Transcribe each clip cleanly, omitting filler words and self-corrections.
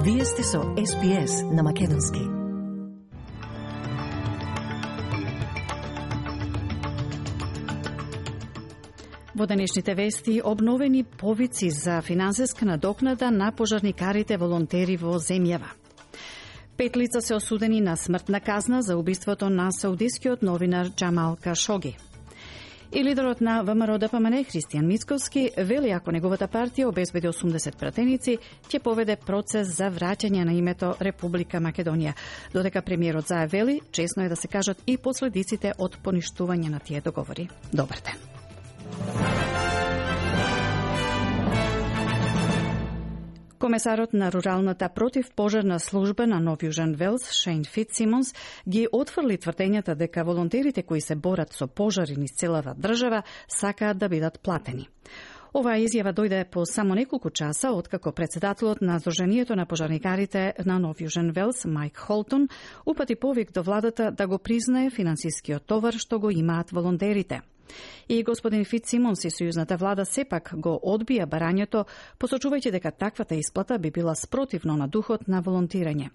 Вие сте со SPS на македонски. Во денешните вести обновени повици за финансиска надокнада на пожарникарите волонтери во земјава. 5 лица се осудени на смртна казна за убиството на саудискиот новинар Джамал Кашоги. И лидерот на ВМРО-ДПМН Христијан Мицковски вели ако неговата партија обезбеди 80 пратеници, ќе поведе процес за враќање на името Република Македонија. Додека премиерот заявели, чесно е да се кажат и последиците од поништување на тие договори. Добар ден. Комесарот на руралната противпожарна служба на Нов Јужен Велс, Шейн Фитсимонс, ги отфрли тврдењата дека волонтерите кои се борат со пожари низ целава држава сакаат да бидат платени. Оваа изјава дојде по само неколку часа откако председателот на Сдруженијето на пожарникарите на Нов Јужен Велс, Майк Холтон, упати повик до владата да го признае финансискиот товар што го имаат волонтерите. И господин Фитсимонс и сојузната влада сепак го одбија барањето, посочувајќи дека таквата исплата би била спротивно на духот на волонтирање.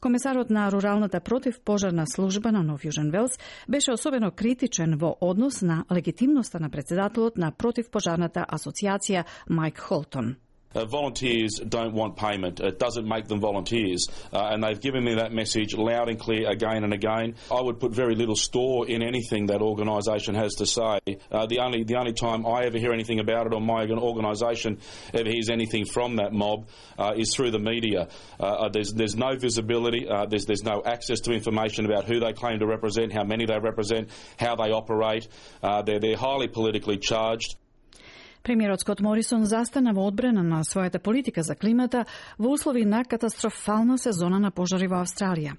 Комесарот на руралната противпожарна служба на Нов Јужен Велс беше особено критичен во однос на легитимноста на председателот на противпожарната асоциација Майк Холтон. Volunteers don't want payment. It doesn't make them volunteers. And they've given me that message loud and clear again and again. I would put very little store in anything that organisation has to say. The only time I ever hear anything about it or my organisation ever hears anything from that mob is through the media. There's no visibility. There's no access to information about who they claim to represent, how many they represent, how they operate. They're highly politically charged. Премиерот Скот Морисон застана во одбрана на својата политика за климата во услови на катастрофална сезона на пожари во Австралија.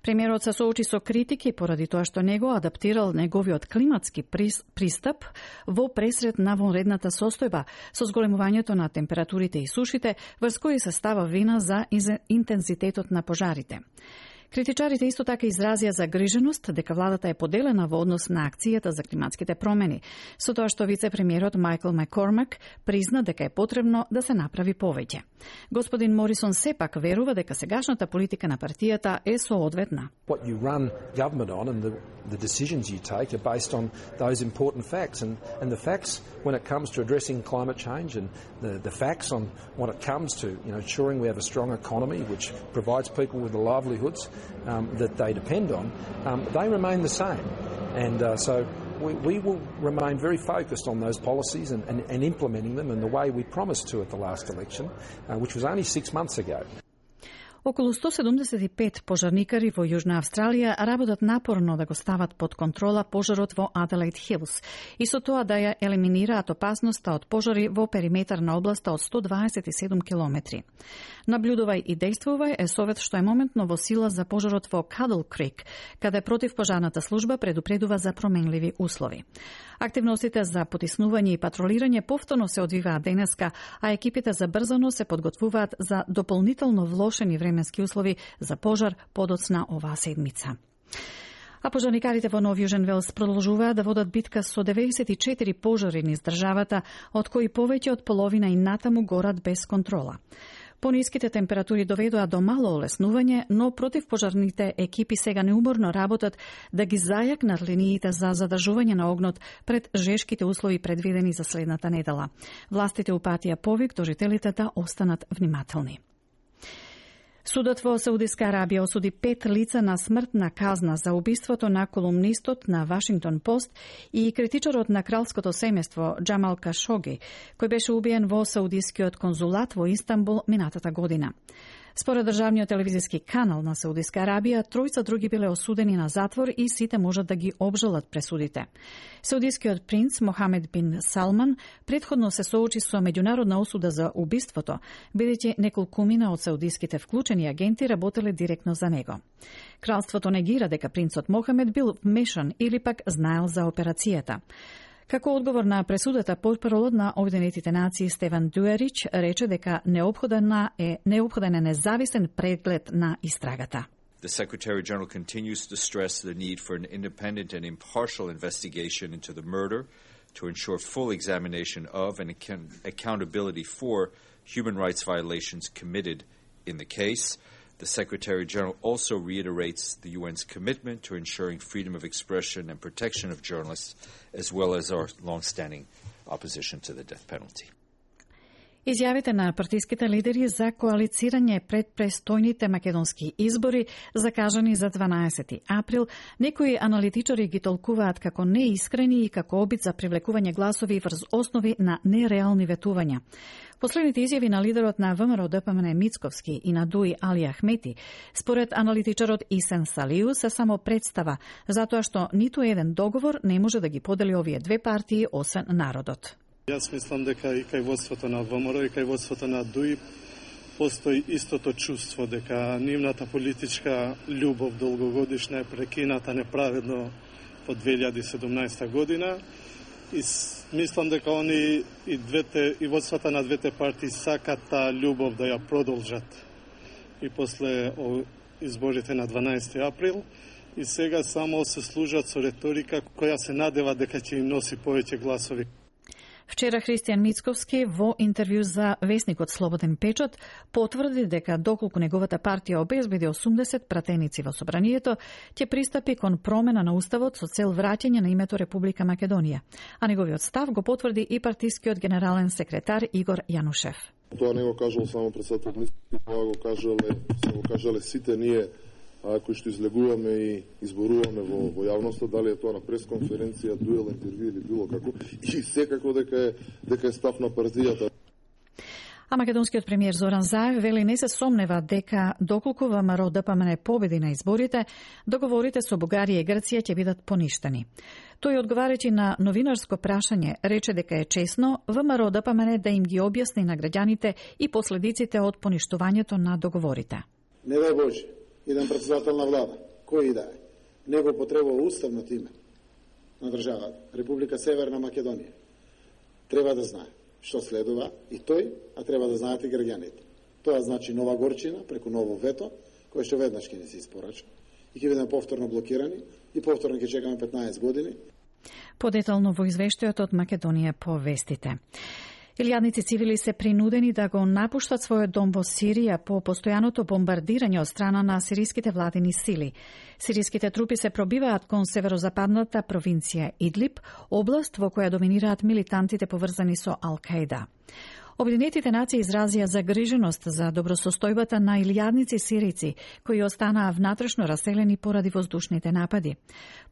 Премиерот се соочи со критики поради тоа што него адаптирал неговиот климатски пристап во пресред на вонредната состојба со зголемувањето на температурите и сушите, врз кои се става вина за интензитетот на пожарите. Критичарите исто така изразија загриженост дека владата е поделена во однос на акцијата за климатските промени, со тоа што вице-премиерот Майкл Маккормак призна дека е потребно да се направи повеќе. Господин Морисон сепак верува дека сегашната политика на партијата е соодветна. What you run government on and the decisions you take are based on those important facts and the facts when it comes to addressing climate change and the facts on when it comes to ensuring we have a strong economy which provides people with the livelihoods that they depend on, they remain the same. And so we will remain very focused on those policies and implementing them in the way we promised to at the last election, which was only 6 months ago. Околу 175 пожарникари во Јужна Австралија работат напорно да го стават под контрола пожарот во Аделаид Хилс и со тоа да ја елиминираат опасноста од пожари во периметар на областа од 127 километри. Наблюдувај и действувај е совет што е моментно во сила за пожарот во Кадл Крик, каде противпожарната служба предупредува за променливи услови. Активностите за потиснување и патролирање повторно се одвиваат денеска, а екипите забрзано се подготвуваат за дополнително влошени временски услови за пожар подоцна оваа седмица. А пожарникарите во Нов Јужен Велс продолжуваат да водат битка со 94 пожари низ државата, од кои повеќе од половина и натаму горат без контрола. Пониските температури доведоа до мало олеснување, но противпожарните екипи сега неуморно работат да ги зајакнат линиите за задржување на огнот пред жешките услови предвидени за следната недела. Властите упатија повик до жителите да останат внимателни. Судот во Саудиска Арабија осуди 5 лица на смртна казна за убиството на колумнистот на Вашингтон Пост и критичарот на кралското семејство Джамал Кашоги, кој беше убиен во Саудискиот конзулат во Истанбул минатата година. Според државниот телевизиски канал на Саудиска Арабија, тројца други биле осудени на затвор и сите можат да ги обжалат пресудите. Саудискиот принц Мохамед бин Салман претходно се соочи со меѓународна осуда за убиството, бидејќи неколкумина од саудиските вклучени агенти работеле директно за него. Кралството негира дека принцот Мохамед бил вмешан или пак знаел за операцијата. Како одговор на пресудата, портпаролот на Обединетите нации Стефан Дуерич рече дека неопходен е независен преглед на истрагата. The Secretary General continues to stress the need for an independent and impartial investigation into the murder to ensure full examination of and accountability for human rights violations committed in the case. The Secretary-General also reiterates the UN's commitment to ensuring freedom of expression and protection of journalists, as well as our long-standing opposition to the death penalty. Изјавите на партиските лидери за коалицирање пред престојните македонски избори, закажани за 12 април, некои аналитичари ги толкуваат како неискрени и како обид за привлекување гласови врз основи на нереални ветувања. Последните изјави на лидерот на ВМРО ДПМН Мицковски и на ДУИ Али Ахмети, според аналитичарот Исен Салиу, се само представа, затоа што ниту еден договор не може да ги подели овие две партии освен народот. Јас мислам дека и кај водството на ВМРО и кај водството на ДУИ постои истото чувство дека нивната политичка љубов долгогодишна е прекината неправедно по 2017 година и мислам дека они и водствата на двете партии сакат таа љубов да ја продолжат и после изборите на 12 април и сега само се служат со реторика која се надева дека ќе им носи повеќе гласови. Вчера Христијан Мицковски во интервју за весникот Слободен печат потврди дека доколку неговата партија обезбеди 80 пратеници во собранието, ќе пристапи кон промена на уставот со цел враќање на името Република Македонија. А неговиот став го потврди и партискиот генерален секретар Игор Јанушев. Тоа не го кажал само председател Мицковски, тоа го кажале сите ние кои што излегуваме и изборуваме во јавноста, дали е тоа на пресконференција, дуел, интервју или било како, и секако дека е став на партијата. А македонскиот премиер Зоран Заев вели не се сомнева дека доколку ВМРО ДПМН победи на изборите, договорите со Бугарија и Грција ќе бидат поништени. Тој одговарајќи на новинарско прашање рече дека е чесно ВМРО ДПМН да им ги објасни на граѓаните и последиците од поништувањето на договорите. Не дај Боже, еден председател на влада, кој и да е, не го потребува уставното име на државата, Република Северна Македонија. Треба да знае што следува и тој, а треба да знаат и граѓаните. Тоа значи нова горчина преку ново вето, кој што веднаш ќе не се испорача и ќе бидеме повторно блокирани и повторно ќе чекаме 15 години. Подетално во извештајот од Македонија по вестите. Илјадници цивили се принудени да го напуштат својот дом во Сирија по постојаното бомбардирање од страна на сириските владини сили. Сириските трупи се пробиваат кон северозападната провинција Идлиб, област во која доминираат милитантите поврзани со Ал-Каида. Обединетите нации изразија загриженост за добросостојбата на илјадници сирици кои останаа внатрешно раселени поради воздушните напади.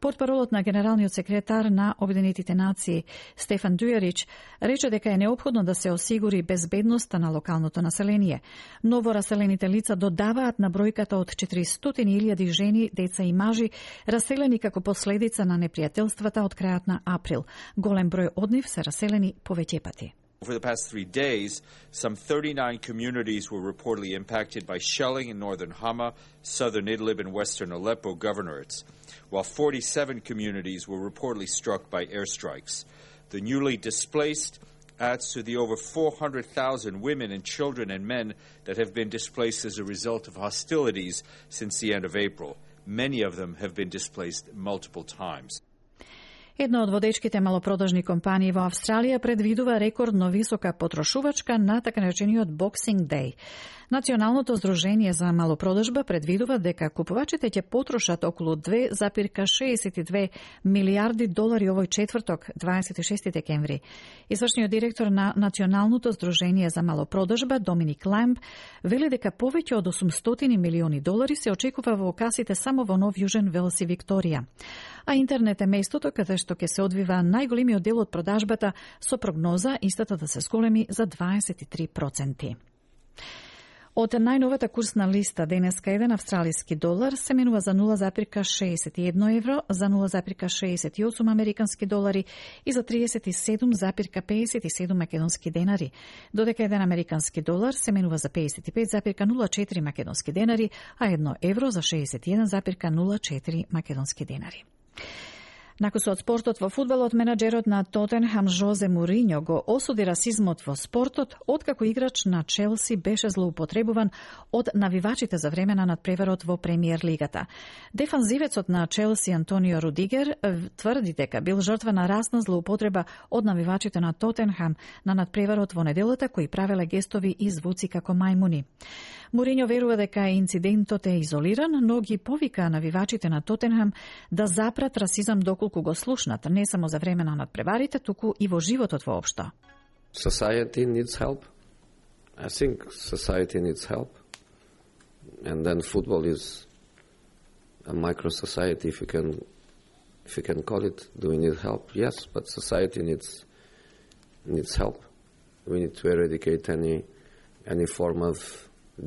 Портпаролот на генералниот секретар на Обединетите нации Стефан Дујарич рече дека е неопходно да се осигури безбедноста на локалното население. Ново раселените лица додаваат на бројката од 400.000 жени, деца и мажи раселени како последица на непријателствата од крајот на април. Голем број од нив се раселени повеќе пати. Over the past 3 days, some 39 communities were reportedly impacted by shelling in northern Hama, southern Idlib, and western Aleppo governorates, while 47 communities were reportedly struck by airstrikes. The newly displaced adds to the over 400,000 women and children and men that have been displaced as a result of hostilities since the end of April. Many of them have been displaced multiple times. Една од водечките малопродажни компании во Австралија предвидува рекордно висока потрошувачка на така наречениот Boxing Day. Националното здружение за малопродажба предвидува дека купувачите ќе потрошат околу 2,62 милијарди долари овој четврток, 26 декември. Извршниот директор на Националното здружение за малопродажба Доминик Ламб вели дека повеќе од 800 милиони долари се очекува во касите само во Нов Јужен Велс и Викторија. А интернет е местото каде што ќе се одвива најголемиот дел од продажбата со прогноза истата да се зголеми за 23%. Од најновата курсна листа денеска еден австралиски долар се менува за 0,61 евро, за 0,68 американски долари и за 37,57 македонски денари, додека еден американски долар се менува за 55,04 македонски денари, а 1 евро за 61,04 македонски денари. Накусот спортот во фудбалот, менаџерот на Тотенхам Жозе Муриньо го осуди расизмот во спортот, откако играч на Челси беше злоупотребуван од навивачите за време на надпреварот во Премиер лигата. Дефанзивецот на Челси Антонио Рудигер тврди дека бил жртва на расна злоупотреба од навивачите на Тотенхам на надпреварот во неделата, кои правеле гестови и звуци како мајмуни. Муриньо верува дека инцидентот е изолиран, но ги повика навивачите на Тотенхам да запрат расизам доколку го слушнат, не само за време на надпреварите, туку и во животот воопшто. Society needs help. I think society needs help. And then football is a micro society, if you can call it. Do we need help? Yes, but society needs help. We need to eradicate any form of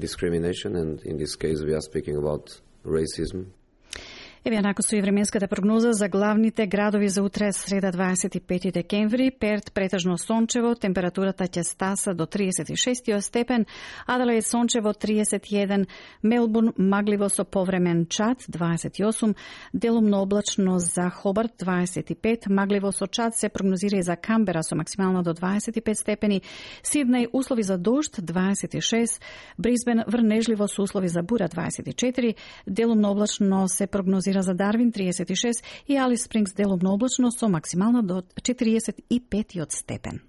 discrimination, and in this case we are speaking about racism. Еве накусу и временската прогноза за главните градови за утре, среда 25 декември. Перт претежно сончево, температурата ќе стаса до 36 степен, Аделаид сончево 31, Мелбурн магливо со повремен чад 28, делумно облачно за Хобарт 25, магливо со чад се прогнозира и за Камбера со максимално до 25 степени, Сиднеј услови за дожд 26, Брисбен врнежливо со услови за бура 24, делумно облачно се прогнозира за Дарвин 36 и Алис Спрингс делумно облачно со максимално до 45 степен.